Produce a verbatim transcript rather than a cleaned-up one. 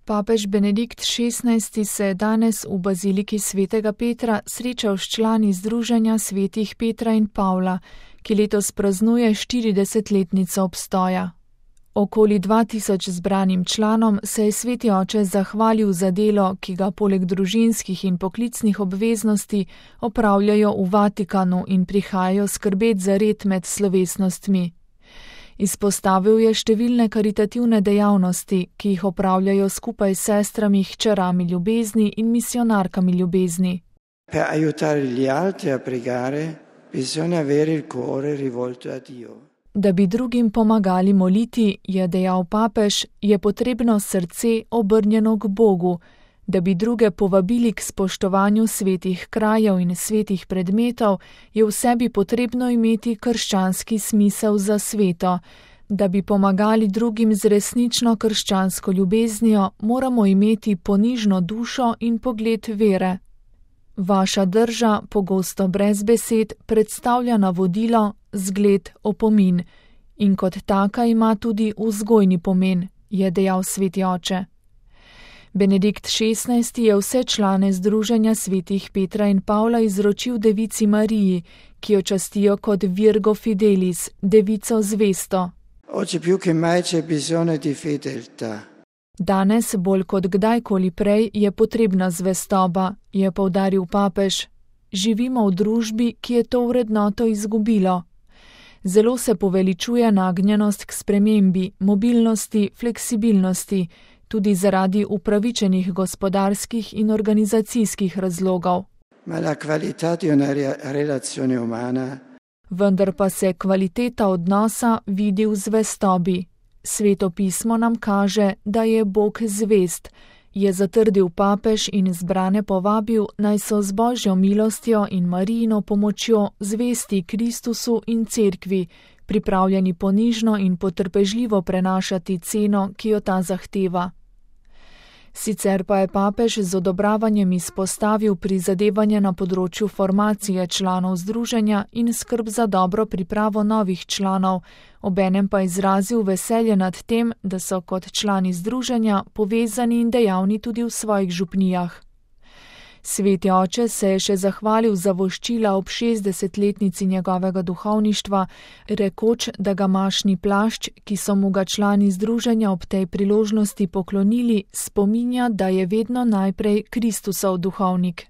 Papež Benedikt šestnajsti se je danes v baziliki svetega Petra srečal s člani Združenja svetih Petra in Pavla, ki letos praznuje štiridesetletnico obstoja. Okoli dva tisoč zbranim članom se je sveti oče zahvalil za delo, ki ga poleg družinskih in poklicnih obveznosti opravljajo v Vatikanu in prihajajo skrbet za red med slovesnostmi. Izpostavil je številne karitativne dejavnosti, ki jih opravljajo skupaj s sestrami, hčerami ljubezni in misionarkami ljubezni. Per aiutare gli altri a pregare, bisogna avere il cuore rivolto a Dio. Da bi drugim pomagali moliti, je dejal papež, je potrebno srce obrnjeno k Bogu. Da bi druge povabili k spoštovanju svetih krajev in svetih predmetov, je v sebi potrebno imeti krščanski smisel za sveto. Da bi pomagali drugim z resnično krščansko ljubeznijo, moramo imeti ponižno dušo in pogled vere. Vaša drža, pogosto brez besed, predstavlja navodilo, zgled, opomin in kot taka ima tudi vzgojni pomen, je dejal sveti oče. Benedikt šestnajsti je vse člane Združenja svetih Petra in Pavla izročil devici Mariji, ki jo častijo kot Virgo Fidelis, devico zvesto. Oggi più che mai c'è bisogno di fedeltà. Danes bolj kot kdajkoli prej je potrebna zvestoba, je poudaril papež. Živimo v družbi, ki je to vrednoto izgubilo. Zelo se poveličuje nagnjenost k spremembi, mobilnosti, fleksibilnosti, tudi zaradi upravičenih gospodarskih in organizacijskih razlogov. Ma la qualità di una relazione umana. Vendar pa se kvaliteta odnosa vidi v zvestobi. Sveto pismo nam kaže, da je Bog zvest, je zatrdil papež in zbrane povabil, naj so z Božjo milostjo in Marijino pomočjo zvesti Kristusu in Cerkvi, pripravljeni ponižno in potrpežljivo prenašati ceno, ki jo ta zahteva. Sicer pa je papež z odobravanjem izpostavil prizadevanje na področju formacije članov združenja in skrb za dobro pripravo novih članov, obenem pa izrazil veselje nad tem, da so kot člani združenja povezani in dejavni tudi v svojih župnijah. Sveti oče se je še zahvalil za voščila ob šestdesetletnici njegovega duhovništva, rekoč, da ga mašni plašč, ki so mu ga člani združenja ob tej priložnosti poklonili, spominja, da je vedno najprej Kristusov duhovnik.